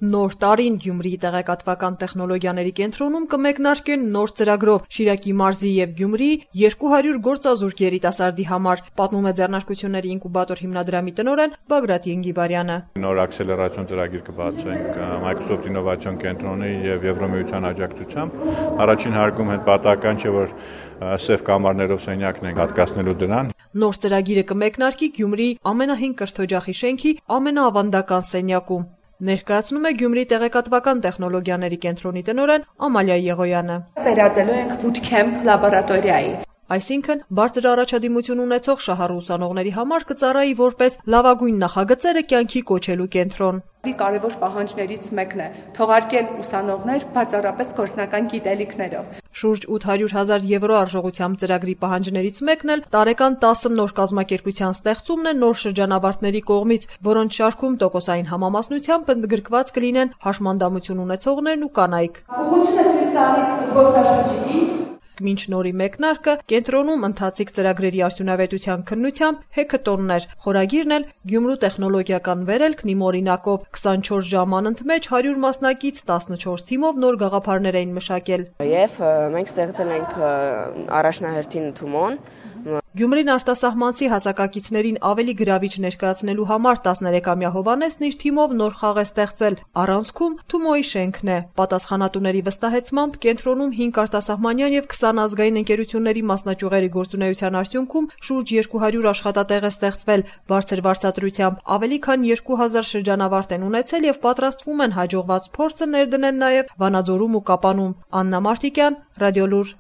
Նոր տարին Գյումրիի տեղեկատվական տեխնոլոգիաների կենտրոնում կմեկնարկեն նոր ծրագրով Շիրակի մարզի եւ Գյումրիի 200 գործազուրկ երիտասարդի համար, պատմում է Ձեռնարկությունների ինկուբատոր հիմնադրամի տնօրեն Բագրատ Ենգիբարյանը։ Նոր ակսելերացիոն ծրագիր կբացենք Microsoft ինովացիոն կենտրոնի եւ Եվրոմիության աջակցությամբ։ Առաջին հարկում հետ պատահական չէ, որ սև կամարներով սենյակն ենք հատկացնելու դրան։ Նոր ծրագիրը կմեկնարկի Գյումրիի ամենահին կրթօջախի շենքի ամենաավանդական սենյակում։ Ներկայացնում է Գյումրիի տեղեկատվական տեխնոլոգիաների կենտրոնի տնօրեն Ամալիա Եղոյանը։ Վերածելու ենք bootcamp լաբորատորիայի։ Այսինքն, բարձր առաջադիմություն ունեցող շահառու ուսանողների համար կծառայի որպես լավագույն նախագծերը կյանքի կոչելու կենտրոն։ Կարևոր պահանջներից մեկն է թողարկել ուսանողներ բացառապես գործնական գիտելիքներով։ Շուրջ 800,000 եվրո արժողությամբ ծրագրի պահանջներից մեկն էլ տարեկան 10 նոր կազմակերպության ստեղծումն է նոր շրջանավարտների կողմից, որոնց շարքում տոկոսային համամասնությամբ ընդգրկված կլինեն հաշմանդամություն ունեցողներն ու կանայք։ Ուղղությունը ցույց տալիս զբոսաշրջիկին Մինչ նորի մեկնարկը կենտրոնում ընթացիկ ծրագրերի արդյունավետության քննությամբ հեքաթոններ, խորագիրն էլ Գյումրու տեխնոլոգիական վերելքն իմ օրինակով 24 ժամ անընդմեջ 100 մասնակից 14 թիմով նոր գաղափարներ էին մշակել։ Եվ մենք ստեղծել ենք առաջնահերթին Թումոն։ Գյումրին արտասահմանցի հասակակիցներին ավելի գրավիչ ներկայացնելու համար 13-ամյա Հովանեսն իր թիմով նոր խաղ է ստեղծել։ Առանցքում Թումոյի շենքն է։ Պատասխանատուների վստահեցմամբ կենտրոնում 5 արտասահմանյան եւ 20 ազգային ընկերությունների մասնաճյուղերի գործունեության արդյունքում շուրջ 200 աշխատատեղ է ստեղծվել բարձր վարձատրությամբ։ Ավելի քան 2000 շրջանավարտ են ունեցել եւ պատրաստվում են հաջողված փորձը ներդնեն նաեւ Վանաձորում ու Կապանում։ Աննա Մարտիկյան, Ռադիոլուր։